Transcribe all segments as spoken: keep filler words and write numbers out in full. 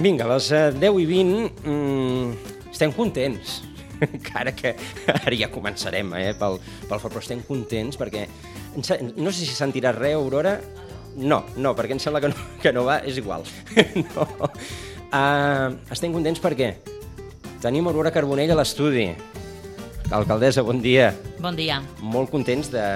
Vinga, a les deu i vint mmm, estem contents, encara que ara ja començarem eh, pel, pel fort, però estem contents perquè, no sé si sentiràs res, Aurora? No, no, perquè em sembla que no, que no va, és igual. No. Uh, estem contents perquè tenim Aurora Carbonell a l'estudi. Alcaldessa, bon dia. Bon dia. Molt contents de,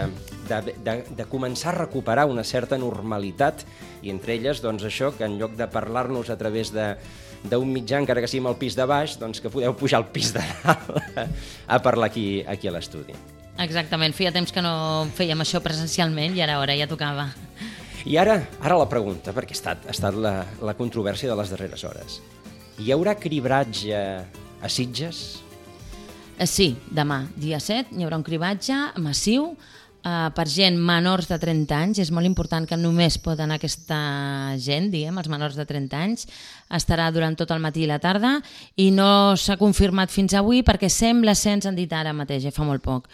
de, de, de començar a recuperar una certa normalitat i entre elles, doncs això, que en lloc de parlar-nos a través d'un mitjà, encara que sigui al pis de baix, doncs que podeu pujar al pis de dalt a parlar aquí, aquí a l'estudi. Exactament, feia temps que no fèiem això presencialment i ara, ara ja tocava. I ara, ara la pregunta, perquè ha estat, ha estat la, la controvèrsia de les darreres hores. Hi haurà cribratge a Sitges? Sí, demà, dia set, hi haurà un cribatge massiu uh, per gent menors de trenta anys. És molt important que només pot anar aquesta gent, diguem, els menors de trenta anys. Estarà durant tot el matí i la tarda i no s'ha confirmat fins avui perquè sembla ser, ens han dit ara mateix, ja fa molt poc,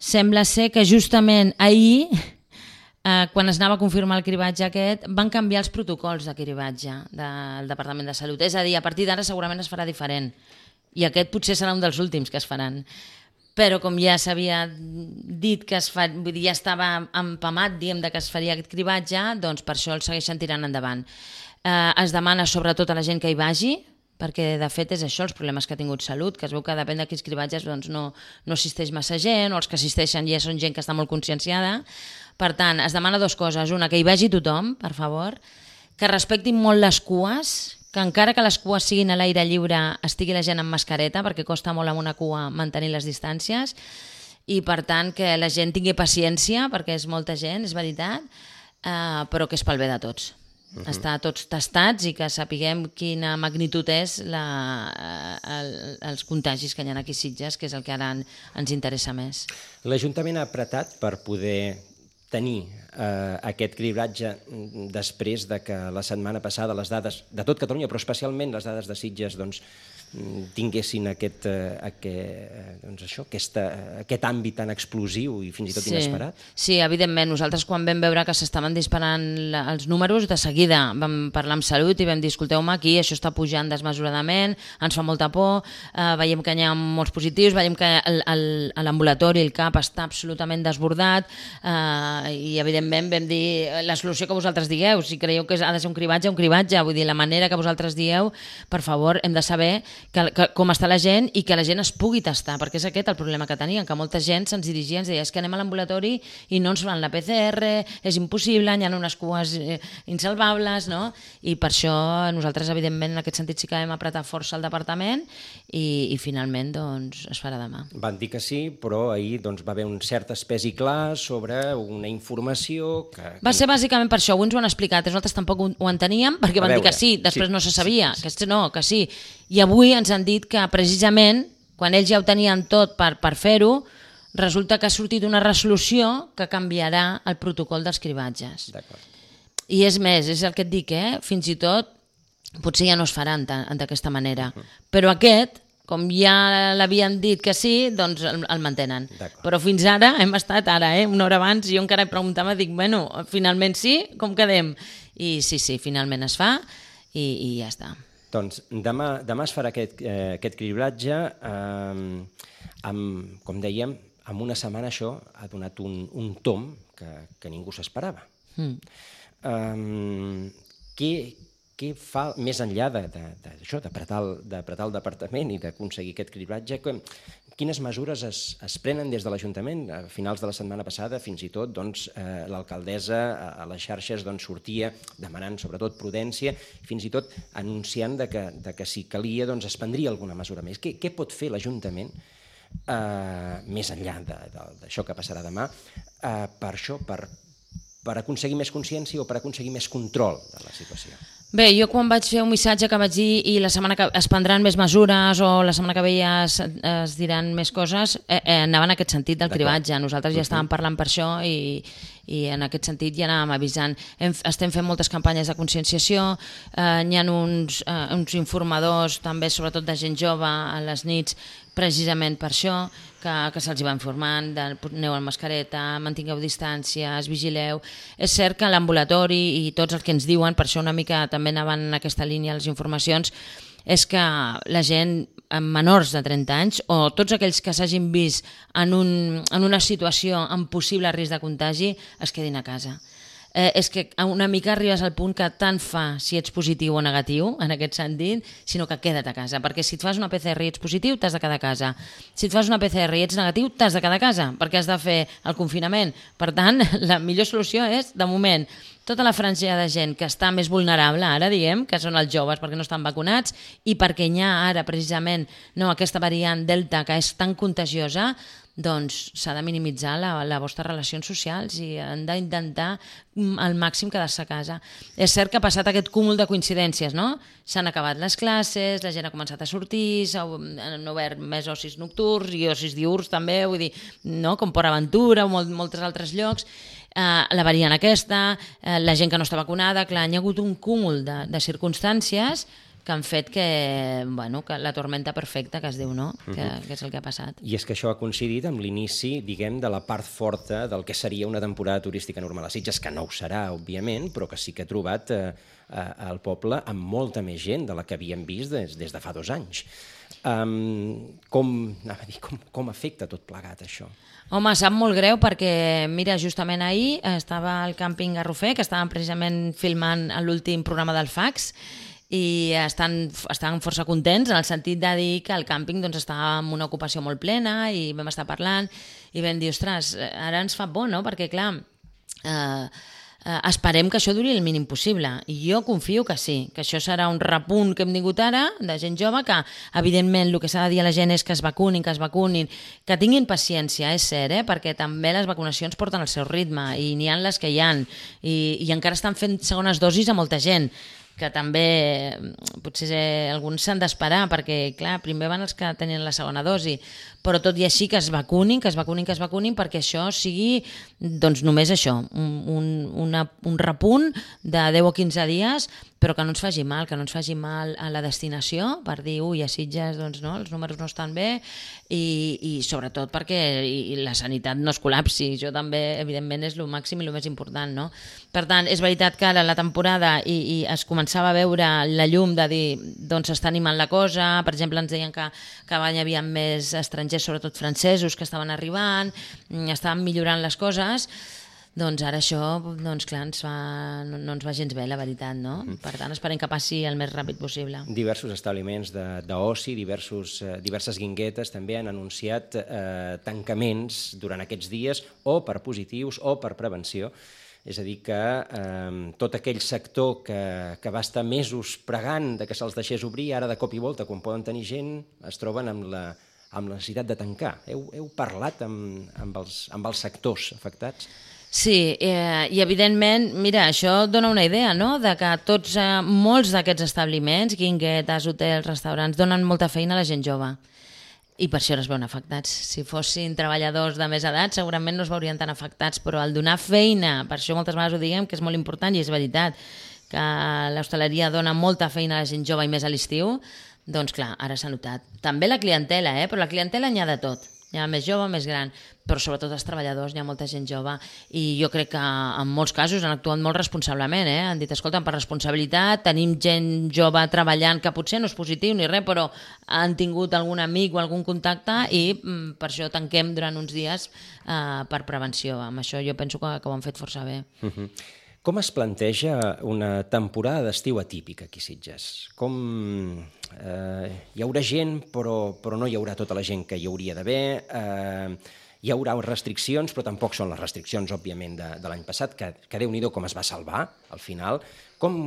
sembla ser que justament ahir, uh, quan es anava a confirmar el cribatge aquest, van canviar els protocols de cribatge del Departament de Salut. És a dir, a partir d'ara segurament es farà diferent. I aquest potser serà un dels últims que es faran. Però com ja s'havia dit que es fa, vull dir, ja estava empamat, diguem, de que es faria aquest cribatge, doncs per això el segueixen tirant endavant. Eh, es demana sobretot a la gent que hi vagi, perquè de fet és això, els problemes que ha tingut Salut, que es veu que depèn de quins cribatges doncs no, no assisteix massa gent, o els que assisteixen ja són gent que està molt conscienciada. Per tant, es demana dues coses. Una, que hi vagi tothom, per favor, que respectin molt les cues, que encara que les cues siguin a l'aire lliure estigui la gent amb mascareta perquè costa molt amb una cua mantenir les distàncies i per tant que la gent tingui paciència perquè és molta gent, és veritat, eh, però que és pel bé de tots. Uh-huh. Estar tots tastats i que sapiguem quina magnitud és la, el, els contagis que hi ha aquí a Sitges, que és el que ara ens interessa més. L'Ajuntament ha apretat per poder tenir eh, aquest cribratge després de que la setmana passada les dades de tot Catalunya, però especialment les dades de Sitges, doncs, tinguessin aquest, eh, aquest, doncs això, aquesta, aquest àmbit tan explosiu i fins i tot sí. inesperat? Sí, evidentment. Nosaltres quan vam veure que s'estaven disparant els números, de seguida vam parlar amb Salut i vam dir, escolteu-me, aquí això està pujant desmesuradament, ens fa molta por, eh, veiem que hi ha molts positius, veiem que l'ambulatori, el, el C A P està absolutament desbordat eh, i evidentment vam dir la solució que vosaltres digueu, si creieu que ha de ser un cribatge, un cribatge, vull dir, la manera que vosaltres dieu, per favor, hem de saber Que, que, com està la gent i que la gent es pugui tastar, perquè és aquest el problema que tenien, que molta gent se'ns dirigia i ens deia és que anem a l'ambulatori i no ens fan la P C R, és impossible, hi ha unes cues eh, insalvables, no? I per això nosaltres, evidentment, en aquest sentit sí que vam apretar força al departament i, i finalment doncs, es farà demà. Van dir que sí, però ahir doncs, va haver un cert espès i clar sobre una informació que... Va ser bàsicament per això, avui ens ho han explicat, nosaltres tampoc ho, ho enteníem, perquè van dir que sí, després sí, no se sabia, sí, sí. que no, que sí. I avui ens han dit que precisament, quan ells ja ho tenien tot per, per fer-ho, resulta que ha sortit una resolució que canviarà el protocol dels cribatges. I és més, és el que et dic, eh? Fins i tot potser ja no es faran d'aquesta manera. Uh-huh. Però aquest, com ja l'havien dit que sí, doncs el, el mantenen. Però fins ara, hem estat ara, eh? una hora abans, jo encara preguntava, dic, bueno, finalment sí, com quedem? I sí, sí, finalment es fa i, i ja està. Doncs demà, demà es farà aquest, eh, aquest cribratge, eh, amb, com dèiem, en una setmana això ha donat un, un tom que, que ningú s'esperava. Mm. Eh, què, què fa, més enllà d'apretar el, el departament i d'aconseguir aquest cribratge, que, quines mesures es, es prenen des de l'Ajuntament? A finals de la setmana passada, fins i tot, doncs, eh, l'alcaldessa a, a les xarxes doncs, sortia demanant sobretot prudència, fins i tot anunciant de que, de que si calia doncs, es prendria alguna mesura més. Què, què pot fer l'Ajuntament eh, més enllà d'això que passarà demà, eh, per això, per, per aconseguir més consciència o per aconseguir més control de la situació? Bé, jo quan vaig fer un missatge que vaig dir i la setmana que es prendran més mesures o la setmana que ve ja es, es diran més coses, eh, eh, anava en aquest sentit del cribatge. Nosaltres ja estàvem parlant per això i, i en aquest sentit ja anàvem avisant. Hem, estem fent moltes campanyes de conscienciació, eh, hi ha uns, eh, uns informadors també, sobretot de gent jove, a les nits, precisament per això, que, que se'ls va informant, de, aneu amb mascareta, mantingueu distàncies, vigileu. És cert que l'ambulatori i tots els que ens diuen, per això una mica també anaven en aquesta línia les informacions, és que la gent amb menors de trenta anys o tots aquells que s'hagin vist en, un, en una situació amb possible risc de contagi es quedin a casa. Eh, és que una mica arribes al punt que tant fa si ets positiu o negatiu, en aquest sentit, sinó que queda't a casa, perquè si et fas una P C R i ets positiu, t'has de quedar a casa. Si et fas una P C R i ets negatiu, t'has de quedar a casa, perquè has de fer el confinament. Per tant, la millor solució és, de moment, tota la franja de gent que està més vulnerable, ara diguem, que són els joves perquè no estan vacunats i perquè hi ha ara precisament no, aquesta variant Delta que és tan contagiosa, doncs s'ha de minimitzar la, la vostres relacions socials i han d'intentar al màxim quedar-se a casa. És cert que ha passat aquest cúmul de coincidències, no? S'han acabat les classes, la gent ha començat a sortir, s'han obert més ocis nocturns i ocis diürns també, vull dir, no? Com Port Aventura o molt, molts altres llocs. Uh, la variant aquesta, uh, la gent que no està vacunada, clar, hi ha hagut un cúmul de, de circumstàncies que han fet que, bueno, que la tormenta perfecta, que es diu, no? Que, uh-huh. que és el que ha passat. I és que això ha coincidit amb l'inici, diguem, de la part forta del que seria una temporada turística normal a Sitges, que no ho serà, òbviament, però que sí que ha trobat eh, el poble amb molta més gent de la que havíem vist des, des de fa dos anys. Um, com, anava a dir, com, com afecta tot plegat, això? Home, sap molt greu perquè, mira, justament ahir estava al càmping Garrofer, que estàvem precisament filmant l'últim programa del Fax, i estan, estan força contents en el sentit de dir que el càmping doncs, estava amb una ocupació molt plena i vam estar parlant i vam dir, ostres, ara ens fa por, no? Perquè, clar, eh, eh, esperem que això duri el mínim possible i jo confio que sí, que això serà un repunt que hem tingut ara de gent jove que, evidentment, el que s'ha de dir a la gent és que es vacunin, que es vacunin, que tinguin paciència, és cert, eh? Perquè també les vacunacions porten el seu ritme i n'hi ha les que hi ha i, i encara estan fent segones dosis a molta gent, que també potser alguns s'han d'esperar perquè, clar, primer van els que tenien la segona dosi, però tot i així que es vacunin, que es vacunin, que es vacunin perquè això sigui, doncs només això, un, un, una, un repunt de deu o quinze dies, però que no ens faci mal, que no ens faci mal a la destinació, per dir, ui, a Sitges doncs, no, els números no estan bé, i, i sobretot perquè i, i la sanitat no es col·lapsi, això també, evidentment, és el màxim i el més important, no? Per tant, és veritat que ara la temporada i, i es començava a veure la llum de dir, doncs s'està animant la cosa, per exemple, ens deien que, que hi havia més estrangers, sobretot francesos, que estaven arribant, estaven millorant les coses. Doncs ara això, doncs clar, ens fa, no, no ens va gens bé, la veritat, no? Per tant, esperem que passi el més ràpid possible. Diversos establiments d'oci, diversos, eh, diverses guinguetes també han anunciat eh, tancaments durant aquests dies, o per positius o per prevenció. És a dir, que eh, tot aquell sector que, que va estar mesos pregant de que se'ls deixés obrir, ara de cop i volta, quan poden tenir gent, es troben amb la, amb la necessitat de tancar. Heu, heu parlat amb, amb, els, amb els sectors afectats? Sí, eh, i evidentment, mira, això dona una idea, no?, de que tots, eh, molts d'aquests establiments, guinguetes, hotels, restaurants, donen molta feina a la gent jove. I per això no es veuen afectats. Si fossin treballadors de més edat, segurament no es veurien tan afectats, però al donar feina, per això moltes vegades ho diguem, que és molt important i és veritat, que l'hostaleria dona molta feina a la gent jove i més a l'estiu, doncs clar, ara s'ha notat. També la clientela, eh? Però la clientela n'hi ha de tot. Hi ha més jove, més gran, però sobretot els treballadors, hi ha molta gent jove i jo crec que en molts casos han actuat molt responsablement, eh? Han dit, escolta, per responsabilitat, tenim gent jove treballant que potser no és positiu ni res, però han tingut algun amic o algun contacte i mm, per això tanquem durant uns dies eh, per prevenció. Amb això jo penso que, que ho han fet força bé. Uh-huh. Com es planteja una temporada d'estiu atípica aquí a Sitges? Com eh, hi haurà gent, però, però no hi haurà tota la gent que hi hauria d'haver? Eh, hi haurà restriccions, però tampoc són les restriccions, òbviament, de, de l'any passat, que, que Déu-n'hi-do com es va salvar, al final. Com,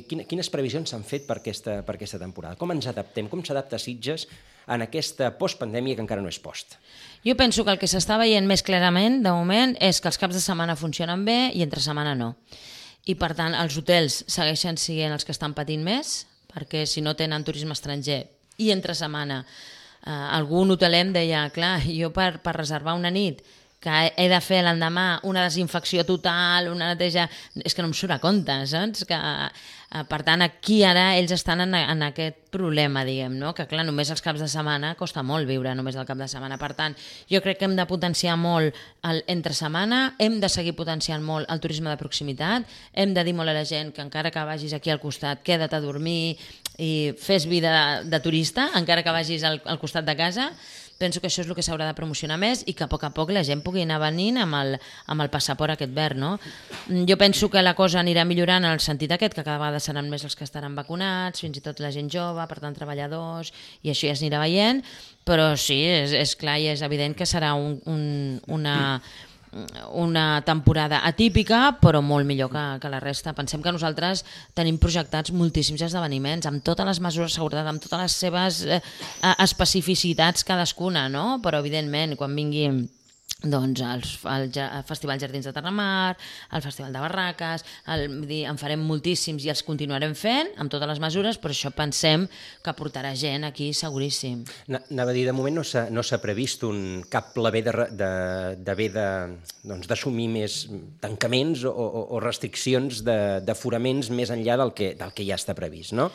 quines previsions s'han fet per aquesta, per aquesta temporada? Com ens adaptem? Com s'adapta Sitges en aquesta postpandèmia que encara no és post? Jo penso que el que s'està veient més clarament, de moment, és que els caps de setmana funcionen bé i entre setmana no. I, per tant, els hotels segueixen sent els que estan patint més, perquè si no tenen turisme estranger i entre setmana eh, algun hoteler em deia, clar, jo per, per reservar una nit que he de fer l'endemà una desinfecció total, una neteja... És que no em surt a compte, saps? Que, eh, per tant, aquí ara ells estan en, en aquest problema, diguem, no? Que clar, només els caps de setmana costa molt viure, només el cap de setmana. Per tant, jo crec que hem de potenciar molt el entre setmana, hem de seguir potenciant molt el turisme de proximitat, hem de dir molt a la gent que encara que vagis aquí al costat, queda't a dormir i fes vida de, de turista, encara que vagis al, al costat de casa. Penso que això és el que s'haurà de promocionar més i que a poc a poc la gent pugui anar venint amb el, amb el passaport aquest verd, no? Jo penso que la cosa anirà millorant en el sentit aquest, que cada vegada seran més els que estaran vacunats, fins i tot la gent jove, per tant treballadors, i això ja s'anirà veient, però sí, és, és clar i és evident que serà un, un, una... una temporada atípica però molt millor que, que la resta. Pensem que nosaltres tenim projectats moltíssims esdeveniments amb totes les mesures de seguretat, amb totes les seves eh, especificitats cadascuna, no? Però evidentment quan vingui doncs el, el, el Festival Jardins de Terramar, el Festival de Barraques, el, dir, en farem moltíssims i els continuarem fent amb totes les mesures, però això pensem que portarà gent aquí seguríssim. Anava a dir, de moment no s'ha no s'ha previst un cap pla-B d'haver d'assumir doncs, més tancaments o, o, o restriccions d'aforaments més enllà del que, del que ja està previst, no?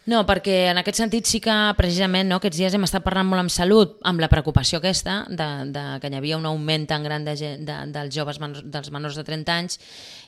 No, perquè en aquest sentit sí que precisament no, aquests dies hem estat parlant molt amb Salut, amb la preocupació aquesta, de, de, que hi havia un augment tan gran de, de, dels joves menors, dels menors de trenta anys,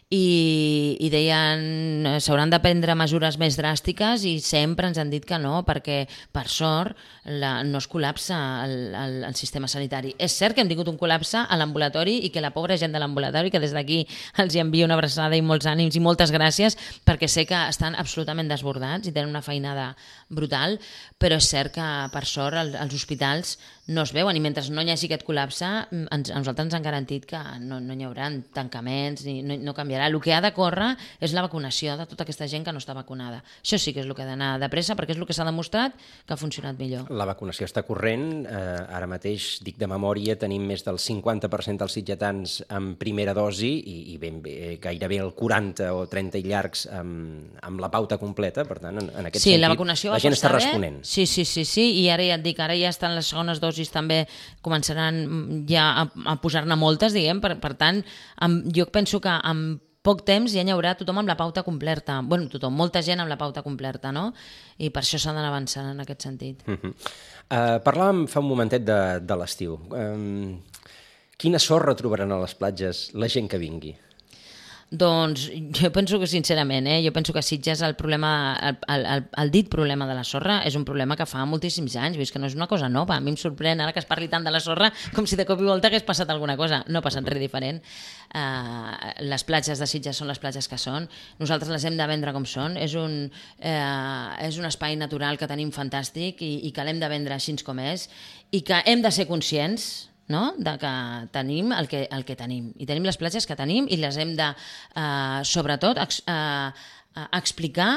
i, i deien s'hauran de prendre mesures més dràstiques i sempre ens han dit que no, perquè per sort la, no es col·lapsa el, el, el sistema sanitari. És cert que hem tingut un col·lapse a l'ambulatori i que la pobra gent de l'ambulatori, que des d'aquí els hi envio una abraçada i molts ànims i moltes gràcies, perquè sé que estan absolutament desbordats i tenen una feinada brutal, però és cert que per sort el, els hospitals no es veuen i mentre no hi hagi aquest col·lapse ens, a nosaltres ens han garantit que no, no hi haurà tancaments, ni, no, no canviarà. El que ha de córrer és la vacunació de tota aquesta gent que no està vacunada. Això sí que és el que ha d'anar de pressa perquè és el que s'ha demostrat que ha funcionat millor. La vacunació està corrent, eh, ara mateix, dic de memòria, tenim més del cinquanta per cent dels sitgetans amb primera dosi i, i ben bé, gairebé el quaranta o trenta i llargs amb, amb la pauta completa, per tant, en, en aquest sí, sentit, la, vacunació la gent està responent. Sí, sí, sí, sí, i ara ja et dic, ara ja estan les segones dosis també començaran ja a, a posar-ne moltes, diguem, per, per tant, amb, jo penso que amb poc temps ja n'hi haurà tothom amb la pauta completa. Bueno, tothom, molta gent amb la pauta completa, no? I per això s'ha d'anar avançant en aquest sentit. Uh -huh. uh, parlàvem fa un momentet de, de l'estiu. Um, quina sorra trobaran a les platges la gent que vingui? Doncs jo penso que sincerament, eh, jo penso que Sitges el problema, el, el, el, el dit problema de la sorra és un problema que fa moltíssims anys, vist que no és una cosa nova. A mi em sorprèn ara que es parli tant de la sorra com si de cop i volta hagués passat alguna cosa. No ha passat res diferent. Uh, les platges de Sitges són les platges que són. Nosaltres les hem de vendre com són. És un, uh, és un espai natural que tenim fantàstic i, i que l'hem de vendre així com és i que hem de ser conscients, no? De que tenim el que, el que tenim i tenim les platges que tenim i les hem de, eh, sobretot, ex, eh, explicar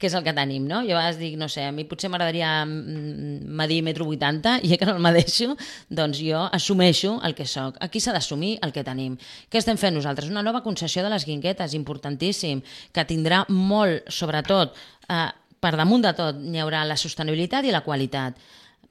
què és el que tenim, no? Jo a vegades dic, no sé, a mi potser m'agradaria medir metro vuitanta i ja que no el medeixo, doncs jo assumeixo el que soc. Aquí s'ha d'assumir el que tenim. Què estem fent nosaltres? Una nova concessió de les Guinguetes, importantíssim, que tindrà molt, sobretot, eh, per damunt de tot, n'hi haurà la sostenibilitat i la qualitat.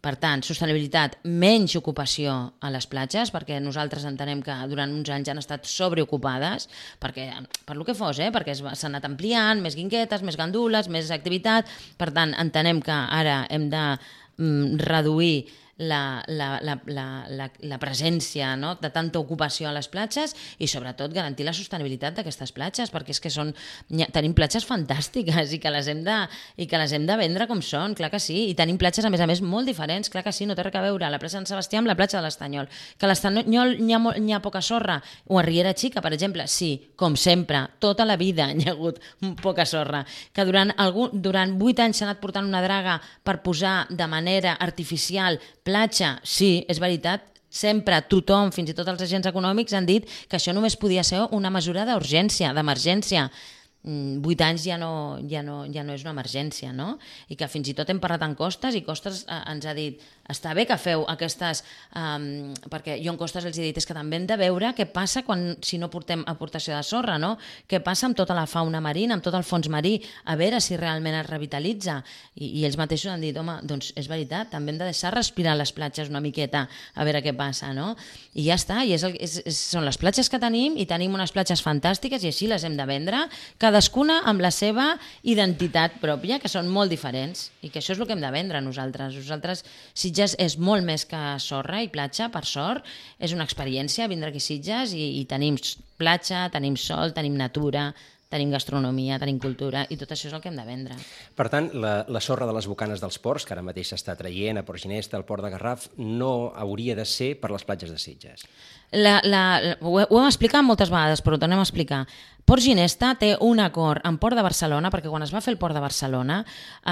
Per tant, sostenibilitat, menys ocupació a les platges, perquè nosaltres entenem que durant uns anys han estat sobreocupades, perquè, per lo que fos, eh? perquè s'han anat ampliant, més guinguetes, més gandules, més activitat. Per tant, entenem que ara hem de mm, reduir la, la, la, la, la, la presència, no? de tanta ocupació a les platges i sobretot garantir la sostenibilitat d'aquestes platges, perquè és que són, tenim platges fantàstiques i que, les hem de, i que les hem de vendre com són, clar que sí, i tenim platges a més a més molt diferents, clar que sí, no té res a veure la platja de Sant Sebastià amb la platja de l'Estanyol, que a l'Estanyol n'hi ha, n'hi ha poca sorra, o a Riera Xica, per exemple, sí, com sempre, tota la vida n'hi ha hagut poca sorra, que durant, algun, durant vuit anys s'ha anat portant una draga per posar de manera artificial platja, sí, és veritat, sempre tothom, fins i tot els agents econòmics, han dit que això només podia ser una mesura d'urgència, d'emergència. vuit anys ja no, ja, no, ja no és una emergència, no? I que fins i tot hem parlat amb Costes i Costes eh, ens ha dit està bé que feu aquestes... Um, perquè jo en Costes els he dit és que també hem de veure què passa quan, si no portem aportació de sorra, no? Què passa amb tota la fauna marina, amb tot el fons marí, a veure si realment es revitalitza. I, i ells mateixos han dit, home, doncs és veritat, també hem de deixar respirar les platges una miqueta a veure què passa, no? I ja està, i és el, és, és, són les platges que tenim i tenim unes platges fantàstiques i així les hem de vendre, cadascuna amb la seva identitat pròpia, que són molt diferents i que això és el que hem de vendre nosaltres. Nosaltres, Sitges és molt més que sorra i platja, per sort, és una experiència vindre aquí a Sitges i, i tenim platja, tenim sol, tenim natura, tenim gastronomia, tenim cultura i tot això és el que hem de vendre. Per tant, la, la sorra de les bocanes dels ports, que ara mateix s'està traient a Port Ginesta, al Port de Garraf, no hauria de ser per les platges de Sitges. La, la, ho, ho hem explicat moltes vegades, però ho tornem a explicar. Port Ginesta té un acord amb Port de Barcelona, perquè quan es va fer el Port de Barcelona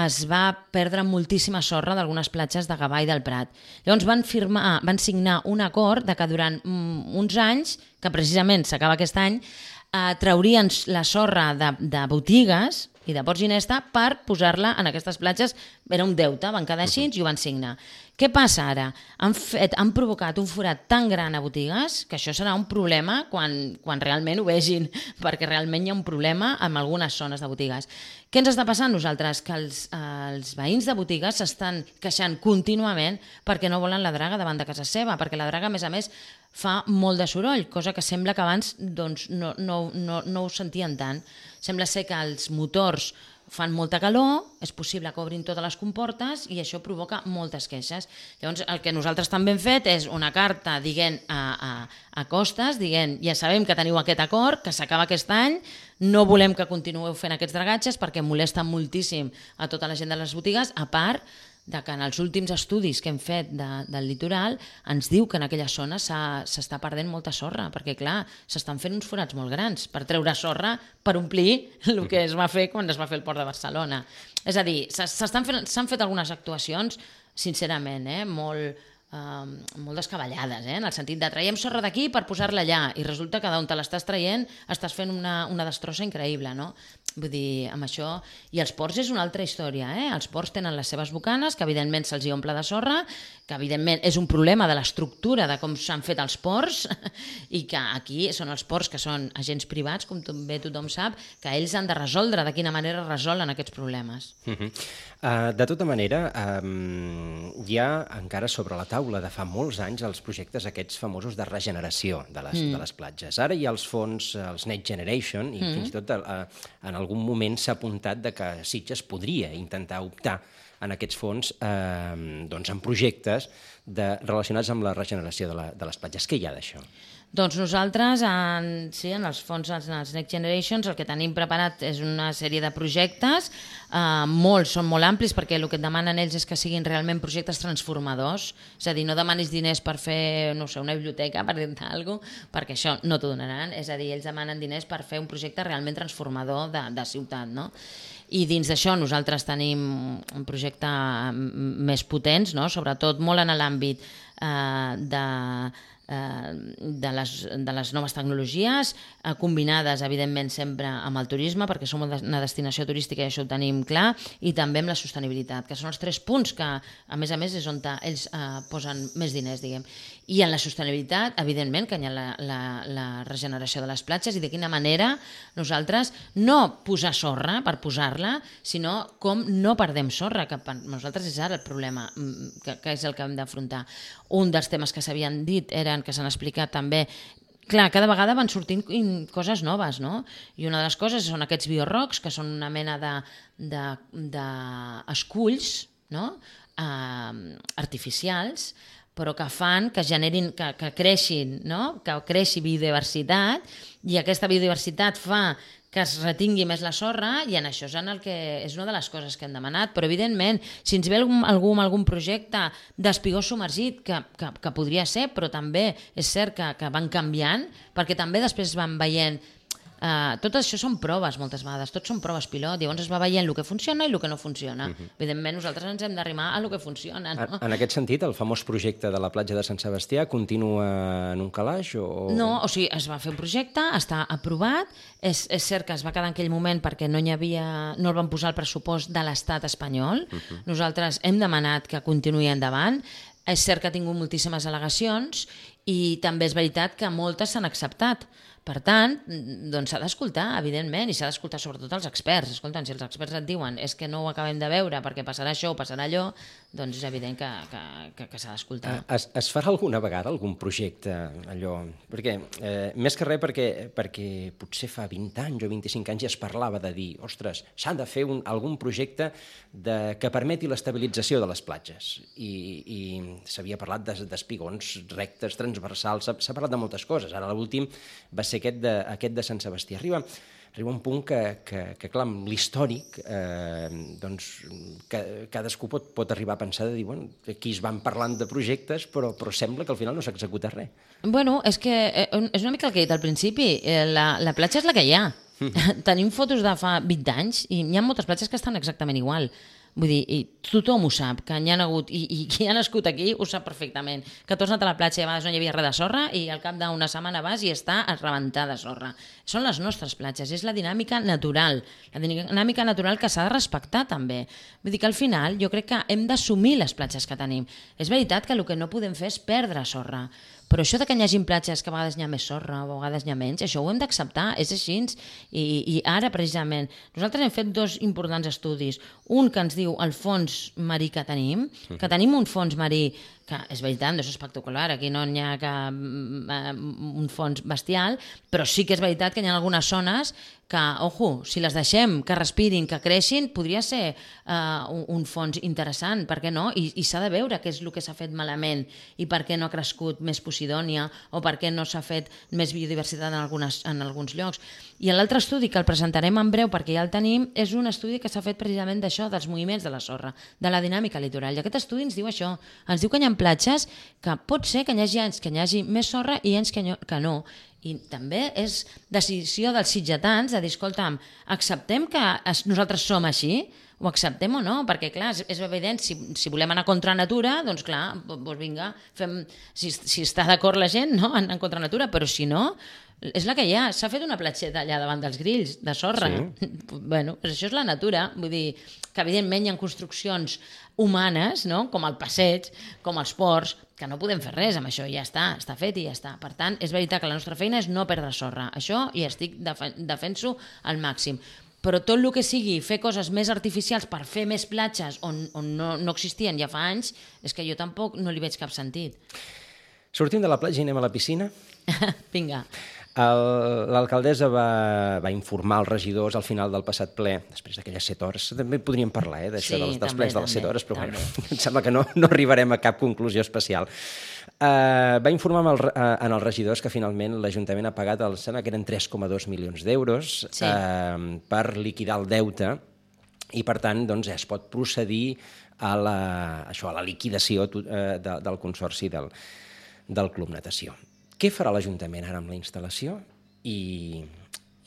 es va perdre moltíssima sorra d'algunes platges de Gavà i del Prat. Llavors van, firmar, van signar un acord de que durant mm, uns anys, que precisament s'acaba aquest any, eh, traurien la sorra de, de botigues i de Port Ginesta per posar-la en aquestes platges. Era un deute, van quedar així i ho van signar. Què passa ara? Han, fet, han provocat un forat tan gran a botigues que això serà un problema quan, quan realment ho vegin, perquè realment hi ha un problema en algunes zones de botigues. Què ens està passant nosaltres? Que els, els veïns de botigues s'estan queixant contínuament perquè no volen la draga davant de casa seva, perquè la draga, a més a més, fa molt de soroll, cosa que sembla que abans doncs, no, no, no, no ho sentien tant. Sembla ser que els motors fan molta calor, és possible que obrin totes les comportes i això provoca moltes queixes. Llavors, el que nosaltres també hem fet és una carta dient a, a, a Costes, dient, ja sabem que teniu aquest acord, que s'acaba aquest any, no volem que continueu fent aquests dragatges perquè molesta moltíssim a tota la gent de les botigues, a part de que en els últims estudis que hem fet de, del litoral ens diu que en aquella zona s'està perdent molta sorra, perquè clar, s'estan fent uns forats molt grans per treure sorra per omplir el que es va fer quan es va fer el Port de Barcelona. És a dir, s'estan fent, s'han fet algunes actuacions, sincerament, eh, molt... Uh, molt descabellades, eh? En el sentit de traiem sorra d'aquí per posar-la allà i resulta que d'on te l'estàs traient estàs fent una, una destrossa increïble, no? Vull dir, amb això... I els ports és una altra història, eh? Els ports tenen les seves bocanes, que evidentment se'ls hi omple de sorra, que evidentment és un problema de l'estructura de com s'han fet els ports i que aquí són els ports que són agents privats, com bé tothom sap, que ells han de resoldre de quina manera resolen aquests problemes. Uh-huh. uh, de tota manera, um, hi ha encara sobre la taula de fa molts anys els projectes aquests famosos de regeneració de les, mm. de les platges. Ara hi ha els fons, els Next Generation, i mm. fins i tot uh, en algun moment s'ha apuntat de que Sitges podria intentar optar en aquests fons eh, doncs en projectes de, relacionats amb la regeneració de, la, de les platges. Què hi ha d'això? Doncs nosaltres, en, sí, en els fons, en els Next Generations, el que tenim preparat és una sèrie de projectes, eh, molts, són molt amplis, perquè el que et demanen ells és que siguin realment projectes transformadors, és a dir, no demanis diners per fer, no sé, una biblioteca, per dir-te alguna cosa, perquè això no t'ho donaran, és a dir, ells demanen diners per fer un projecte realment transformador de, de ciutat, no? I dins d'això nosaltres tenim un projecte més potents, no? Sobretot molt en l'àmbit eh, de... De les, de les noves tecnologies, eh, combinades evidentment sempre amb el turisme, perquè som una destinació turística i això ho tenim clar, i també amb la sostenibilitat, que són els tres punts que a més a més és on ells eh, posen més diners, diguem. I en la sostenibilitat, evidentment que hi ha la, la, la regeneració de les platges i de quina manera nosaltres no posar sorra per posar-la, sinó com no perdem sorra, que per nosaltres és ara el problema, que, que és el que hem d'afrontar. Un dels temes que s'havien dit eren, que s'han explicat també, clar, cada vegada van sortint coses noves, no? I una de les coses són aquests biorrocs, que són una mena de, de, de esculls, no? eh, artificials, però que fan que generin, que, que creixin, no? Que creixi biodiversitat, i aquesta biodiversitat fa que es retingui més la sorra, i en això és, en el que és una de les coses que hem demanat. Però, evidentment, si ens ve algun, algú amb algun projecte d'espigó submergit, que, que, que podria ser, però també és cert que, que van canviant, perquè també després van veient Uh, tot això són proves moltes vegades, tot són proves pilot, i llavors es va veient el que funciona i el que no funciona. Uh-huh. Evidentment, nosaltres ens hem d'arrimar a el que funciona. No? En, en aquest sentit, el famós projecte de la platja de Sant Sebastià continua en un calaix? O... No, o sigui, es va fer un projecte, està aprovat, és, és cert que es va quedar en aquell moment perquè no hi havia, no el van posar al pressupost de l'estat espanyol. Uh-huh. Nosaltres hem demanat que continuï endavant. És cert que ha tingut moltíssimes al·legacions i també és veritat que moltes s'han acceptat. Per tant, doncs s'ha d'escoltar, evidentment, i s'ha d'escoltar sobretot els experts. Escolta'm, si els experts et diuen és que no ho acabem de veure perquè passarà això o passarà allò, doncs és evident que, que, que, que s'ha d'escoltar. Es, es farà alguna vegada algun projecte, allò? Perquè, eh, més que res perquè, perquè potser fa vint anys o vint-i-cinc anys ja es parlava de dir, ostres, s'ha de fer un, algun projecte de, que permeti l'estabilització de les platges. I, i s'havia parlat d'espigons rectes, transversals, s'ha parlat de moltes coses. Ara l'últim va ser aquest de, aquest de Sant Sebastià. Arriba, arriba un punt que, que, que clar, amb l'històric, eh, doncs, que, cadascú pot, pot arribar a pensar de dir, bueno, aquí es van parlant de projectes, però, però sembla que al final no s'executa res. Bueno, és que eh, és una mica el que he dit al principi, eh, la, la platja és la que hi ha. Tenim fotos de fa vint anys i hi ha moltes platges que estan exactament igual. Vull dir, i tothom ho sap, que n'hi ha hagut, i, i qui ha nascut aquí ho sap perfectament, que tu has anat a la platja i a vegades no hi havia res de sorra i al cap d'una setmana vas i està a rebentar de sorra. Són les nostres platges, és la dinàmica natural, la dinàmica natural que s'ha de respectar també. Vull dir que al final jo crec que hem d'assumir les platges que tenim. És veritat que el que no podem fer és perdre sorra, però això de que hi hagi platges que a vegades hi ha més sorra o a vegades hi ha menys, això ho hem d'acceptar, és així. I, I ara, precisament, nosaltres hem fet dos importants estudis. Un que ens diu el fons marí que tenim, que tenim un fons marí que és veritat, no és espectacular, aquí no hi ha cap, un fons bestial, però sí que és veritat que hi ha algunes zones que, ojo, si les deixem que respirin, que creixin, podria ser uh, un, un fons interessant, per què no? I, i s'ha de veure què és el que s'ha fet malament i per què no ha crescut més Posidònia o per què no s'ha fet més biodiversitat en, algunes, en alguns llocs. I l'altre estudi, que el presentarem en breu perquè ja el tenim, és un estudi que s'ha fet precisament d'això, dels moviments de la sorra, de la dinàmica litoral. I aquest estudi ens diu això, ens diu que hi ha platges que pot ser que hi hagi anys que hi hagi més sorra i anys que no. I també és decisió dels sitgetans de dir, escolta'm, acceptem que nosaltres som així? Ho acceptem o no? Perquè, clar, és, és evident, si, si volem anar contra natura, doncs clar, doncs vinga, fem, si, si està d'acord la gent, no?, anar contra natura, però si no, és la que hi ha. S'ha fet una platgeta allà davant dels grills, de sorra. Sí. Bueno, doncs això és la natura. Vull dir que, evidentment, hi ha construccions humanes, no?, com el passeig, com els ports, que no podem fer res amb això, ja està, està fet i ja està. Per tant, és veritat que la nostra feina és no perdre sorra. Això hi estic defen- defenso al màxim. Però tot el que sigui fer coses més artificials per fer més platges on, on no, no existien ja fa anys, és que jo tampoc no li veig cap sentit. Sortim de la platja i anem a la piscina? Vinga. L'alcaldessa va, va informar els regidors al final del passat ple, després d'aquelles set hores, també podríem parlar eh, d'això, sí, dels, dels plens de les set hores, però bueno, em sembla que no, no arribarem a cap conclusió especial. Uh, va informar amb el, uh, en els regidors que finalment l'Ajuntament ha pagat, el, sembla que eren tres coma dos milions d'euros sí. uh, per liquidar el deute i per tant doncs, es pot procedir a la, això, a la liquidació uh, de, del consorci del, del Club Natació. Què farà l'Ajuntament ara amb la instal·lació? I,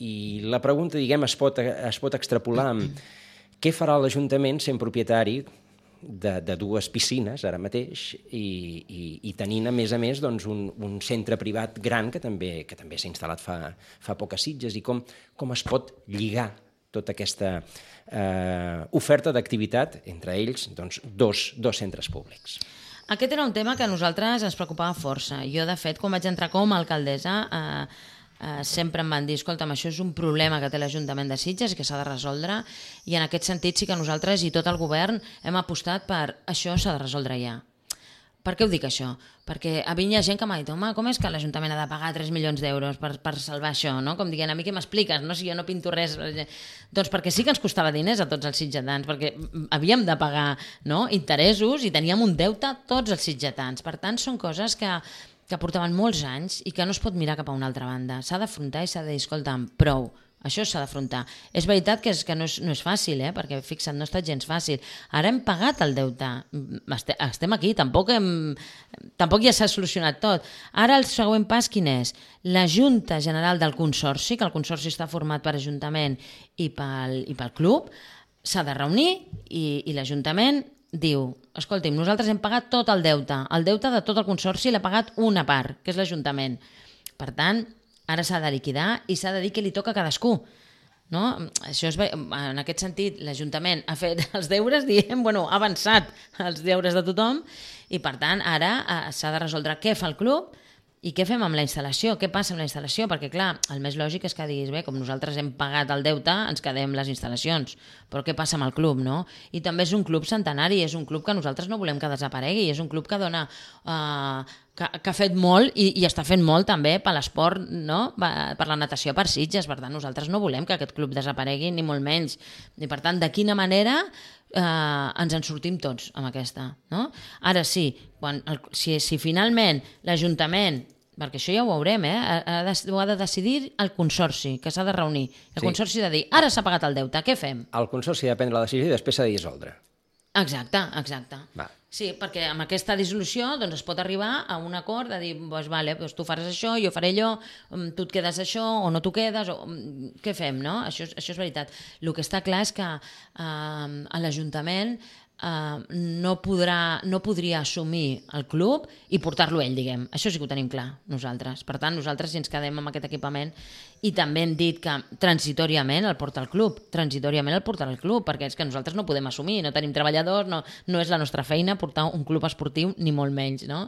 i la pregunta, diguem, es pot, es pot extrapolar amb què farà l'Ajuntament sent propietari de, de dues piscines ara mateix i, i, i tenint, a més a més, doncs, un, un centre privat gran que també, que també s'ha instal·lat fa, fa poques Sitges i com, com es pot lligar tota aquesta eh, oferta d'activitat entre ells, doncs, dos, dos centres públics. Aquest era un tema que a nosaltres ens preocupava força. Jo, de fet, quan vaig entrar com a alcaldessa, eh, eh, sempre em van dir, escolta'm, això és un problema que té l'Ajuntament de Sitges i que s'ha de resoldre, i en aquest sentit sí que nosaltres i tot el govern hem apostat per això s'ha de resoldre ja. Per què ho dic això? Perquè a mi hi ha gent que m'ha dit, home, com és que l'Ajuntament ha de pagar tres milions d'euros per, per salvar això, no? Com dient, a mi què m'expliques, no? Si jo no pinto res... Doncs perquè sí que ens costava diners a tots els sitgetans, perquè havíem de pagar, no?, interessos i teníem un deute tots els sitgetans. Per tant, són coses que, que portaven molts anys i que no es pot mirar cap a una altra banda. S'ha d'afrontar i s'ha de dir, escolta'm, prou, Això s'ha d'afrontar. És veritat que, és, que no, és, no és fàcil, eh? Perquè fixa't, no ha estat gens fàcil. Ara hem pagat el deute. Estem aquí, tampoc, hem, tampoc ja s'ha solucionat tot. Ara el següent pas quin és? La Junta General del Consorci, que el Consorci està format per Ajuntament i pel, i pel club, s'ha de reunir i, i l'Ajuntament diu, escolti'm, nosaltres hem pagat tot el deute. El deute de tot el Consorci l'ha pagat una part, que és l'Ajuntament. Per tant, ara s'ha de liquidar i s'ha de dir què li toca a cadascú. No? Això és, en aquest sentit, l'Ajuntament ha fet els deures, diem, bueno, ha avançat els deures de tothom i, per tant, ara s'ha de resoldre què fa el club i què fem amb la instal·lació, què passa amb la instal·lació, perquè, clar, el més lògic és que diguis, bé, com nosaltres hem pagat el deute, ens quedem les instal·lacions, però què passa amb el club, no? I també és un club centenari, és un club que nosaltres no volem que desaparegui, és un club que dona... Uh, que, que ha fet molt i, i està fent molt també per l'esport, no? Per la natació per Sitges, per tant nosaltres no volem que aquest club desaparegui ni molt menys, i per tant de quina manera eh, ens en sortim tots amb aquesta, no? Ara sí, quan el, si, si finalment l'Ajuntament, perquè això ja ho veurem, eh? ha, de, ho ha de decidir el Consorci, que s'ha de reunir, el sí. Consorci ha de dir, ara s'ha pagat el deute, què fem? El Consorci ha de prendre la decisió i després s'ha de dissoldre. Exacte, exacte. Va. Sí, perquè amb aquesta dissolució doncs, es pot arribar a un acord de dir, doncs, vale, doncs tu faràs això, jo faré allò, tu et quedes això o no tu quedes, o què fem, no? Això, això és veritat. El que està clar és que eh, a l'Ajuntament Uh, no, podrà, no podria assumir el club i portar-lo ell, diguem. Això sí que ho tenim clar, nosaltres. Per tant, nosaltres si ens quedem amb aquest equipament, i també hem dit que transitòriament el porta el club, transitòriament el portarà el club, perquè és que nosaltres no podem assumir, no tenim treballadors, no, no és la nostra feina portar un club esportiu, ni molt menys, no?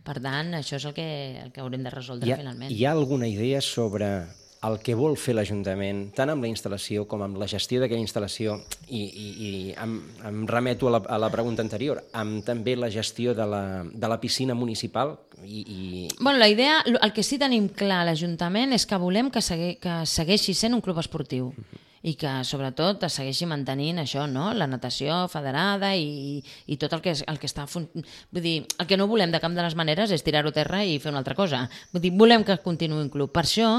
Per tant, això és el que, el que haurem de resoldre hi ha, finalment. Hi ha alguna idea sobre el que vol fer l'Ajuntament, tant amb la instal·lació com amb la gestió d'aquella instal·lació, i, i, i em, em remeto a la, a la pregunta anterior, amb també la gestió de la, de la piscina municipal? I, i... Bueno, la idea, el que sí tenim clar a l'Ajuntament és que volem que, segui, que segueixi sent un club esportiu. Uh-huh. I que, sobretot, es segueixi mantenint això, no? La natació federada i, i tot el que, el que està... Vull dir, el que no volem de cap de les maneres és tirar-ho a terra i fer una altra cosa. Vull dir, volem que continuï un club. Per això,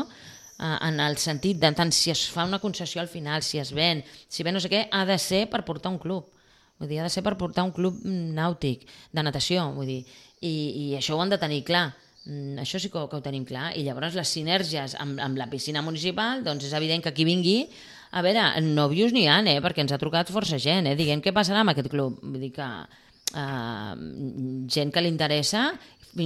en el sentit de tant si es fa una concessió al final, si es ven, si ven no sé què, ha de ser per portar un club. Vull dir, ha de ser per portar un club nàutic, de natació, vull dir. I, i això ho han de tenir clar. Això sí que ho, que ho tenim clar. I llavors les sinergies amb, amb la piscina municipal, doncs és evident que qui vingui, a veure, nòvios n'hi ha, eh? Perquè ens ha trucat força gent, eh? Diguem, què passarà amb aquest club? Vull dir que eh, gent que li interessa,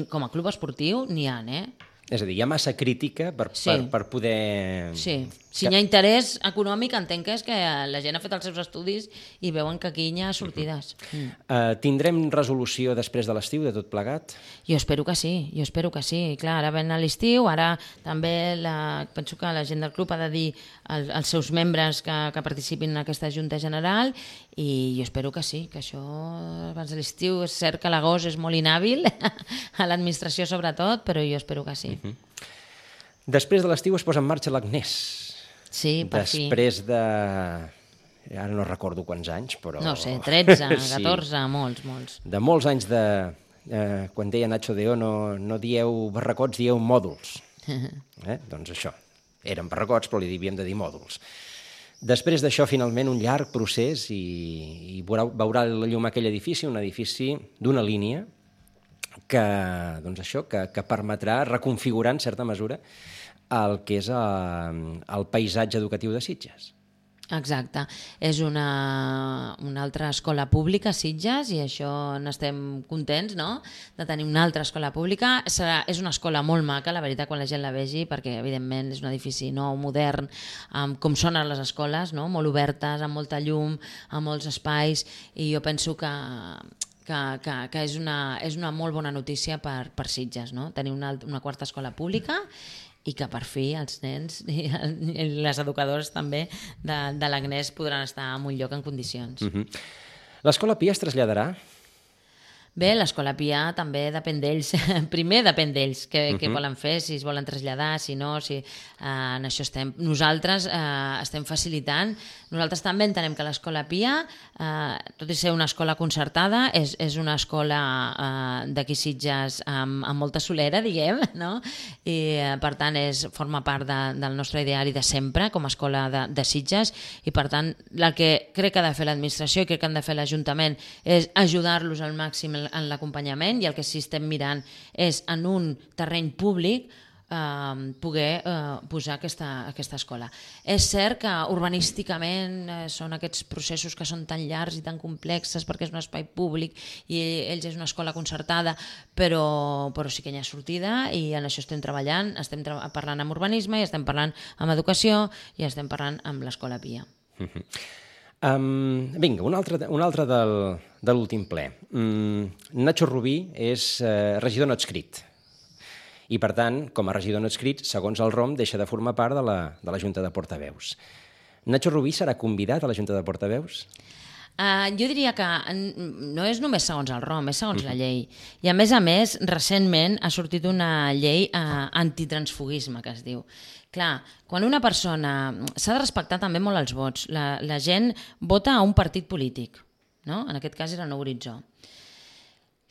com a club esportiu, n'hi ha, eh? És a dir, hi ha massa crítica per, sí. per, per poder... Sí, si hi ha interès econòmic, entenc que és que la gent ha fet els seus estudis i veuen que aquí hi ha sortides. Mm. Uh, tindrem resolució després de l'estiu de tot plegat? Jo espero que sí, jo espero que sí. Clar, ara ven a l'estiu, ara també la, penso que la gent del club ha de dir al, als seus membres que, que participin en aquesta Junta General i jo espero que sí, que això abans de l'estiu és cert que l'agost és molt inhàbil, a l'administració sobretot, però jo espero que sí. Uh-huh. Després de l'estiu es posa en marxa l'Agnès. Sí, per fi. Després de... Ara no recordo quants anys, però... No sé, tretze, catorze, sí. molts, molts. De molts anys de... Eh, quan deia Nacho Deo, no, no dieu barracots, dieu mòduls. Eh? Doncs això, eren barracots, però li havíem de dir mòduls. Després d'això, finalment, un llarg procés i, i veurà, veurà la llum aquell edifici, un edifici d'una línia que, doncs això, que, que permetrà reconfigurar, en certa mesura, el que és el, el paisatge educatiu de Sitges. Exacte. És una, una altra escola pública a Sitges i això n'estem contents, no?, de tenir una altra escola pública. Serà, és una escola molt maca, la veritat, quan la gent la vegi, perquè evidentment és un edifici nou, modern, um, com són les escoles, no?, molt obertes, amb molta llum, amb molts espais, i jo penso que que, que, que és, una, és una molt bona notícia per, per Sitges, no?, tenir una, una quarta escola pública i que per fi els nens i, i les educadores també de, de l'Agnès podran estar en un lloc en condicions. Uh-huh. L'Escola Pia es traslladarà? Bé, l'Escola Pia també depèn d'ells. Primer depèn d'ells, què, uh -huh. què volen fer, si es volen traslladar, si no, si uh, en això estem. Nosaltres uh, estem facilitant. Nosaltres també entenem que l'Escola Pia, uh, tot i ser una escola concertada, és, és una escola uh, d'aquí Sitges amb, amb molta solera, diguem, no? I uh, per tant és, forma part de, del nostre ideari de sempre com a escola de, de Sitges, i per tant el que crec que ha de fer l'administració i crec que han de fer l'Ajuntament és ajudar-los al màxim en l'acompanyament, i el que sí estem mirant és en un terreny públic eh, poder eh, posar aquesta, aquesta escola. És cert que urbanísticament eh, són aquests processos que són tan llargs i tan complexes perquè és un espai públic i ells és una escola concertada, però, però sí que hi ha sortida, i en això estem treballant, estem tra parlant amb urbanisme, i estem parlant amb educació, i estem parlant amb l'Escola Pia. Uh-huh. Um, vinga, un altre, un altre del, de l'últim ple. Um, Nacho Rubí és uh, regidor no adscrit i, per tant, com a regidor no adscrit, segons el R O M, deixa de formar part de la, de la Junta de Portaveus. Nacho Rubí serà convidat a la Junta de Portaveus? Uh, jo diria que no és només segons el R O M, és segons uh-huh. la llei. I, a més a més, recentment ha sortit una llei uh, antitransfugisme, que es diu. Clar, quan una persona... S'ha de respectar també molt els vots. La, la gent vota a un partit polític, no? En aquest cas era Nou Horitzó.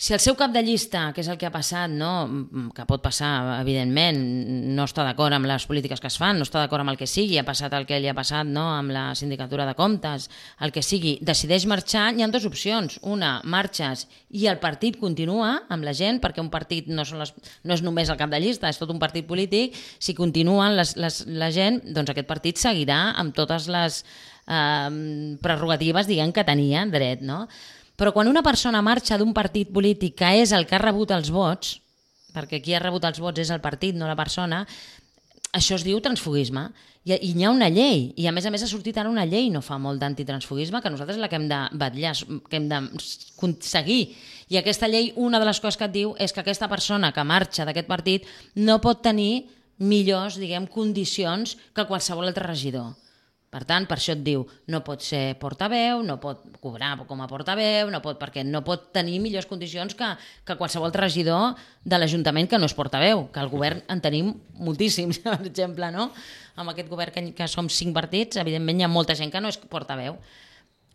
Si el seu cap de llista, que és el que ha passat, no? Que pot passar, evidentment, no està d'acord amb les polítiques que es fan, no està d'acord amb el que sigui, ha passat el que li ha passat, no? Amb la sindicatura de comptes, el que sigui, decideix marxar, hi ha dues opcions. Una, marxes i el partit continua amb la gent, perquè un partit no, són les, no és només el cap de llista, és tot un partit polític. Si continuen les, les, la gent, doncs aquest partit seguirà amb totes les eh, prerrogatives, diguem, que tenia dret, no? Però quan una persona marxa d'un partit polític que és el que ha rebut els vots, perquè qui ha rebut els vots és el partit, no la persona, això es diu transfugisme. I, i hi ha una llei, i a més a més ha sortit ara una llei no fa molt d'antitransfugisme, que nosaltres la que hem de vetllar, que hem de seguir. I aquesta llei, una de les coses que et diu és que aquesta persona que marxa d'aquest partit no pot tenir millors, diguem, condicions que qualsevol altre regidor. Per tant, per això et diu, no pot ser portaveu, no pot cobrar com a portaveu, no pot, perquè no pot tenir millors condicions que, que qualsevol regidor de l'Ajuntament que no és portaveu, que al govern en tenim moltíssims, per exemple, no? Amb aquest govern que, que som cinc partits, evidentment hi ha molta gent que no és portaveu.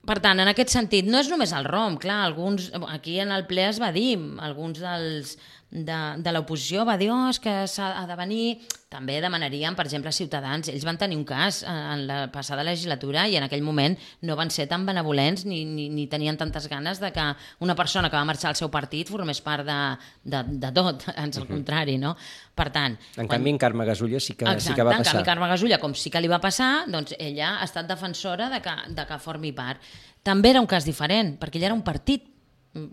Per tant, en aquest sentit, no és només el R O M, clar, alguns, aquí en el ple es va dir, alguns dels... de, de l'oposició va dir, oh, és que s'ha de venir... També demanaríem, per exemple, a Ciutadans. Ells van tenir un cas en la passada legislatura i en aquell moment no van ser tan benevolents ni, ni, ni tenien tantes ganes de que una persona que va marxar al seu partit formés part de, de, de tot, ans al contrari, no? Per tant... En quan... canvi, en Carme Gasulla sí que, Exacte, sí que va passar. En canvi, Carme Gasulla, com sí que li va passar, doncs ella ha estat defensora de que, de que formi part. També era un cas diferent, perquè ella era un partit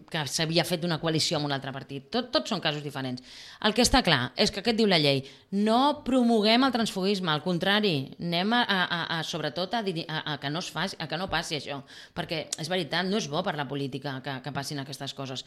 que s'havia fet una coalició amb un altre partit. Tot, tots són casos diferents. El que està clar és que aquest diu la llei, no promoguem el transfugisme, al contrari, anem a, a, a sobretot a, a, a, que no es faci, a que no passi això, perquè és veritat, no és bo per la política que, que passin aquestes coses.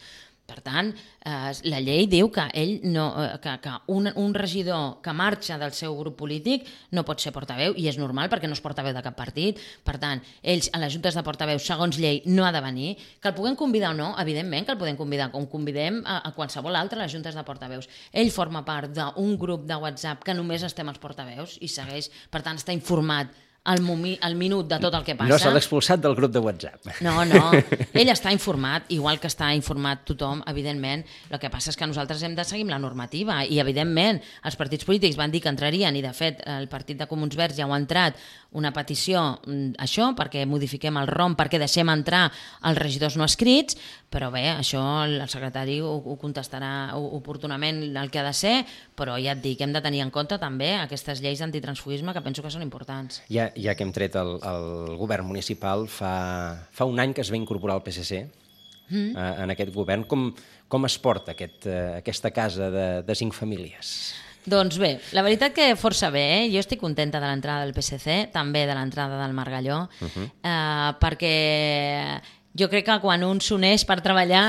Per tant, eh, la llei diu que ell no, que, que un, un regidor que marxa del seu grup polític no pot ser portaveu, i és normal perquè no és portaveu de cap partit. Per tant, ells a les juntes de portaveus, segons llei, no ha de venir. Que el puguem convidar o no, evidentment que el podem convidar, com convidem a, a qualsevol altre a les juntes de portaveus. Ell forma part d'un grup de WhatsApp que només estem els portaveus i segueix, per tant, està informat al, momi, al minut de tot el que passa. No se l'ha expulsat del grup de WhatsApp. No, no. Ell està informat, igual que està informat tothom, evidentment. El que passa és que nosaltres hem de seguir la normativa i, evidentment, els partits polítics van dir que entrarien i, de fet, el partit de Comuns Verds ja ho ha entrat, una petició, això, perquè modifiquem el R O M, perquè deixem entrar els regidors no escrits, però bé, això el secretari ho, ho contestarà oportunament el que ha de ser, però ja et dic, hem de tenir en compte també aquestes lleis d'antitransfugisme que penso que són importants. Ja, ja que hem tret el, el govern municipal, fa, fa un any que es va incorporar el P S C mm. eh, en aquest govern. Com, com es porta aquest, eh, aquesta casa de, de cinc famílies? Doncs bé, la veritat que força bé, eh? Jo estic contenta de l'entrada del P S C, també de l'entrada del Margalló, uh-huh. eh, perquè jo crec que quan un s'uneix per treballar,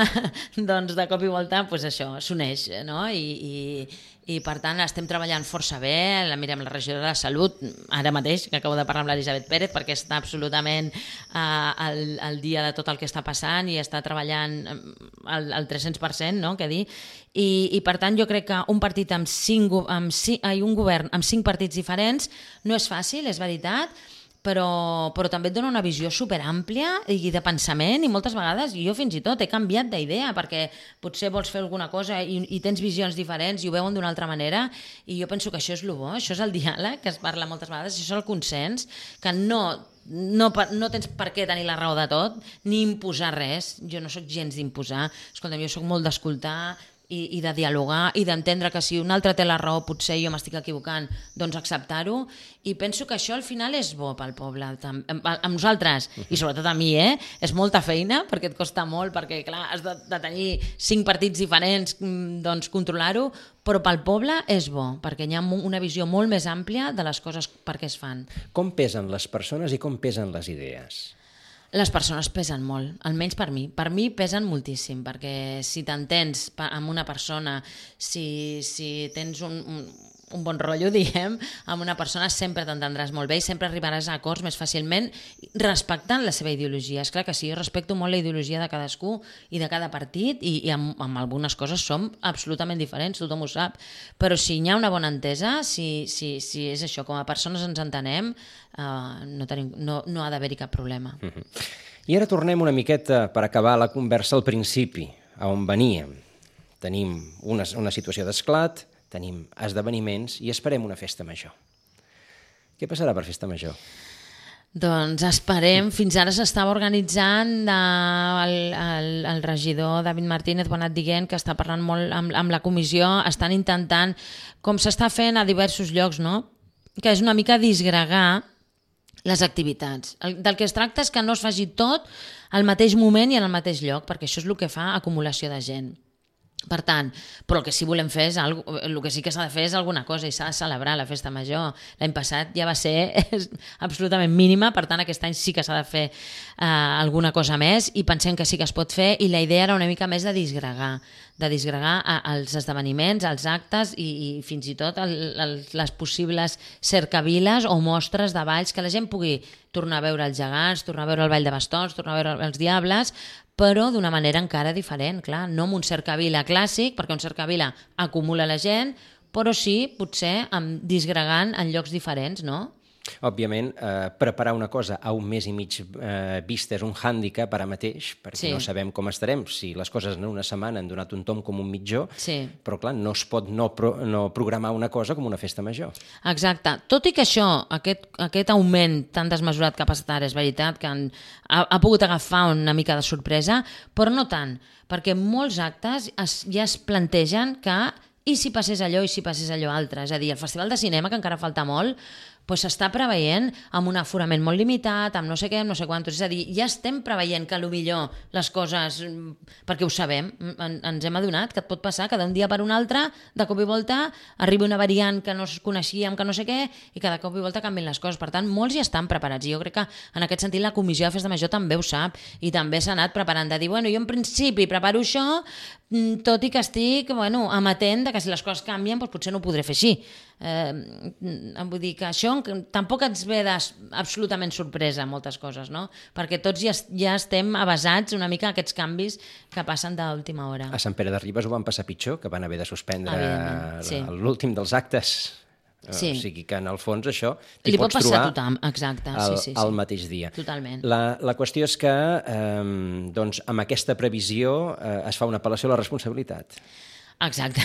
doncs de cop i volta, doncs això, s'uneix, no? I, i, i per tant estem treballant força bé. La mirem la regidora de Salut, ara mateix, que acabo de parlar amb l'Elisabet Pérez, perquè està absolutament eh, al, al dia de tot el que està passant i està treballant al, al tres-cents per cent, no? Què dir? I, i per tant jo crec que un partit amb cinc, amb cinc, ai, un govern amb cinc partits diferents no és fàcil, és veritat, però, però també et dona una visió superàmplia i de pensament, i moltes vegades jo fins i tot he canviat d'idea perquè potser vols fer alguna cosa i, i tens visions diferents i ho veuen d'una altra manera, i jo penso que això és el bo, això és el diàleg que es parla moltes vegades, això és el consens, que no, no, no tens per què tenir la raó de tot ni imposar res. Jo no sóc gens d'imposar, escolta'm, jo sóc molt d'escoltar i, i de dialogar i d'entendre que si un altre té la raó potser jo m'estic equivocant, doncs acceptar-ho, i penso que això al final és bo pel poble, amb, amb nosaltres i sobretot a mi, eh? És molta feina perquè et costa molt, perquè clar, has de, de tenir cinc partits diferents, doncs controlar-ho, però pel poble és bo, perquè hi ha una visió molt més àmplia de les coses per què es fan. Com pesen les persones i com pesen les idees? Les persones pesen molt, almenys per mi. Per mi pesen moltíssim, perquè si t'entens amb una persona, si, si tens un, un, un bon rotllo, diguem, amb una persona sempre t'entendràs molt bé i sempre arribaràs a acords més fàcilment respectant la seva ideologia. És clar que sí, jo respecto molt la ideologia de cadascú i de cada partit i, i amb, amb algunes coses som absolutament diferents, tothom ho sap, però si hi ha una bona entesa, si, si, si és això, com a persones ens entenem, Uh, no, tenim, no, no ha d'haver-hi cap problema. Uh-huh. I ara tornem una miqueta per acabar la conversa al principi, a on veníem. Tenim una, una situació d'esclat, tenim esdeveniments i esperem una festa major. Què passarà per festa major? Doncs esperem, fins ara s'estava organitzant, eh, el, el, el regidor David Martínez ho ha anat dient que està parlant molt amb, amb la comissió, estan intentant, com s'està fent a diversos llocs, no? Que és una mica disgregar les activitats. El, del que es tracta és que no es faci tot al mateix moment i en el mateix lloc, perquè això és el que fa acumulació de gent. Per tant, però el que sí volem fer és algo, el que sí que s'ha de fer és alguna cosa i s'ha de celebrar la festa major. L'any passat ja va ser absolutament mínima, per tant aquest any sí que s'ha de fer eh, alguna cosa més i pensem que sí que es pot fer, i la idea era una mica més de disgregar, de disgregar els esdeveniments, els actes i, i fins i tot el, el, les possibles cercaviles o mostres de balls, que la gent pugui tornar a veure els gegants, tornar a veure el ball de bastons, tornar a veure els diables, però d'una manera encara diferent, clar, no amb un cercavila clàssic, perquè un cercavila acumula la gent, però sí, potser, amb disgregant en llocs diferents, no? Òbviament, eh, preparar una cosa a un mes i mig eh, vista és un hàndicap ara mateix, perquè sí. No sabem com estarem. Si les coses en una setmana han donat un tom com un mitjó, sí. Però clar, no es pot no, pro, no programar una cosa com una festa major. Exacte. Tot i que això, aquest, aquest augment tan desmesurat que ha passat ara, és veritat que han, ha, ha pogut agafar una mica de sorpresa, però no tant, perquè molts actes es, ja es plantegen que i si passés allò i si passés allò altre. És a dir, el Festival de Cinema, que encara falta molt, doncs s'està preveient amb un aforament molt limitat, amb no sé què, amb no sé quantos. És a dir, ja estem preveient que potser les coses, perquè ho sabem, en, ens hem adonat que et pot passar que d'un dia per un altre, de cop i volta, arriba una variant que no es coneixíem, que no sé què, i que de cop i volta canvien les coses. Per tant, molts ja estan preparats. I jo crec que en aquest sentit la Comissió de Festa Major també ho sap, i també s'ha anat preparant de dir, bueno, jo en principi preparo això, tot i que estic, bueno, amatent de que si les coses canvien, doncs potser no ho podré fer així. Eh, vull dir que això tampoc ens ve absolutament sorpresa moltes coses, no? Perquè tots ja, ja estem avasats una mica a aquests canvis que passen d'última hora. A Sant Pere de Ribes ho van passar pitjor, que van haver de suspendre sí. l'últim dels actes. Sí. O sigui que en el fons això t'hi li pots pot passar trobar a tothom. Exacte. el, sí, sí, sí. el mateix dia. Totalment. La, la qüestió és que eh, doncs, amb aquesta previsió eh, es fa una apel·lació a la responsabilitat. Exacte,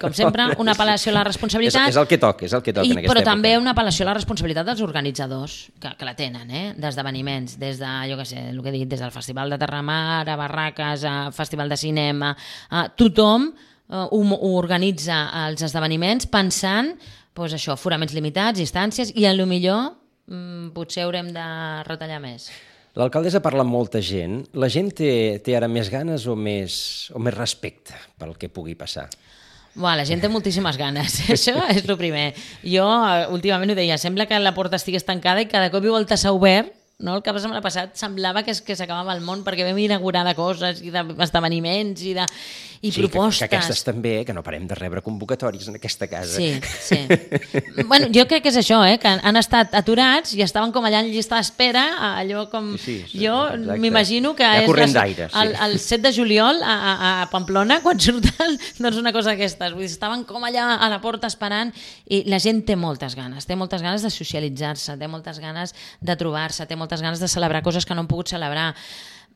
com sempre, una apel·lació a la responsabilitat. És, és el que toca, és el que toca i, en aquesta però època. també una apel·lació a la responsabilitat dels organitzadors, que, que la tenen, eh? D'esdeveniments, des de, jo què sé, el que he dit, des del Festival de Terramar, a Barraques, a Festival de Cinema, a tothom eh, ho, ho organitza els esdeveniments pensant, doncs això, aforaments limitats, distàncies, i a lo millor mm, potser haurem de retallar més. L'alcaldessa parla amb molta gent. La gent té, té ara més ganes o més, o més respecte pel que pugui passar? Buah, la gent té moltíssimes ganes, això és el primer. Jo últimament ho deia, sembla que la porta estigués tancada i cada cop i volta s'ha obert no? El cap de setmana passat semblava que, que s'acabava el món perquè vam inaugurar de coses i d'esdeveniments i, de, i sí, propostes. Que, que aquestes també, que no parem de rebre convocatòries en aquesta casa. Sí, sí. Bueno, jo crec que és això, eh? Que han estat aturats i estaven com allà en llista d'espera, allò com... Sí, sí, jo m'imagino que ja és corrent d'aire, sí. el, el set de juliol a, a, a Pamplona, quan surten, doncs una cosa d'aquestes. Vull dir, estaven com allà a la porta esperant i la gent té moltes ganes, té moltes ganes de socialitzar-se, té moltes ganes de trobar-se, té moltes ganes de celebrar coses que no han pogut celebrar.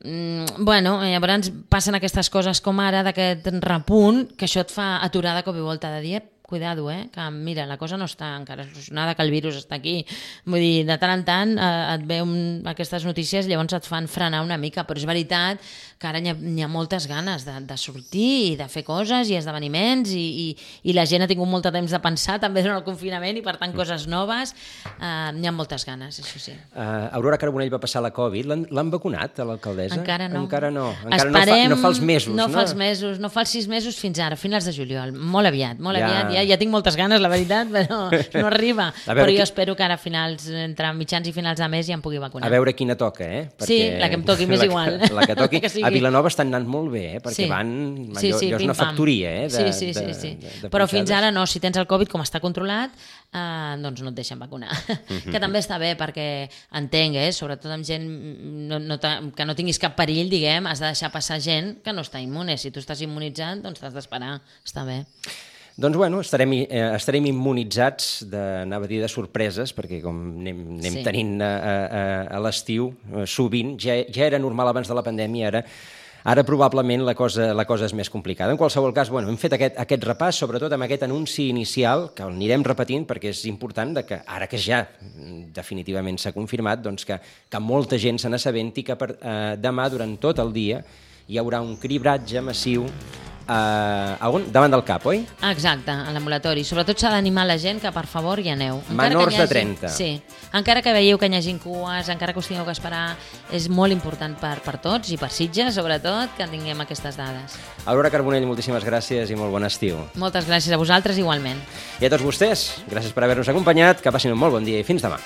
Mm, bueno, llavors passen aquestes coses com ara, d'aquest repunt, que això et fa aturar de cop i volta, de dir, cuidado, eh? Que mira, la cosa no està encara solucionada, que el virus està aquí. Vull dir, de tant en tant eh, et ve un, aquestes notícies, llavors et fan frenar una mica, però és veritat que ara n'hi ha, n'hi ha moltes ganes de, de sortir i de fer coses i esdeveniments i, i, i la gent ha tingut molt de temps de pensar també durant el confinament i per tant coses noves. Eh, n'hi ha moltes ganes, això sí. Uh, Aurora Carbonell va passar la Covid. L'han vacunat, a l'alcaldessa? Encara no. Encara no. Encara Esperem, no, fa, no fa els mesos, no? No fa els mesos, no fa els sis mesos fins ara, finals de juliol. Molt aviat, molt ja... aviat. Ja, ja tinc moltes ganes, la veritat, però no arriba. Però jo qui... espero que ara a finals, entre mitjans i finals de mes ja em pugui vacunar. A veure quina toca, eh? Perquè... Sí, la que em toqui, m'és igual. La, la que toqui. que sigui... A Vilanova estan anant molt bé, eh? Perquè sí. van... Sí, allò, sí, allò és una factoria, eh? De, sí, sí, sí. sí. De, de, de però fins ara no, si tens el Covid, com està controlat, eh, doncs no et deixen vacunar. Mm-hmm. Que també està bé, perquè entenc, eh? Sobretot amb gent no, no que no tinguis cap perill, diguem, has de deixar passar gent que no està immune. Si tu estàs immunitzat, doncs t'has d'esperar. Està bé. Doncs bueno, estarem, eh, estarem immunitzats de, anava a dir, de sorpreses, perquè com anem, anem sí. tenint a, a, a l'estiu eh, sovint, ja, ja era normal abans de la pandèmia, ara Ara probablement la cosa, la cosa és més complicada. En qualsevol cas, bueno, hem fet aquest, aquest repàs, sobretot amb aquest anunci inicial, que el anirem repetint perquè és important de que ara que ja definitivament s'ha confirmat, doncs que, que molta gent se n'assabenti que per, eh, demà durant tot el dia hi haurà un cribratge massiu Uh, a on? Davant del cap, oi? Exacte, a l'ambulatori. Sobretot s'ha d'animar la gent que per favor hi aneu. Encara Menors hagi, de trenta. Sí, encara que veieu que hi hagi cues, encara que us tingueu que esperar, és molt important per, per tots i per Sitges, sobretot, que tinguem aquestes dades. Aurora Carbonell, moltíssimes gràcies i molt bon estiu. Moltes gràcies a vosaltres igualment. I a tots vostès, gràcies per haver-nos acompanyat, que passin un molt bon dia i fins demà.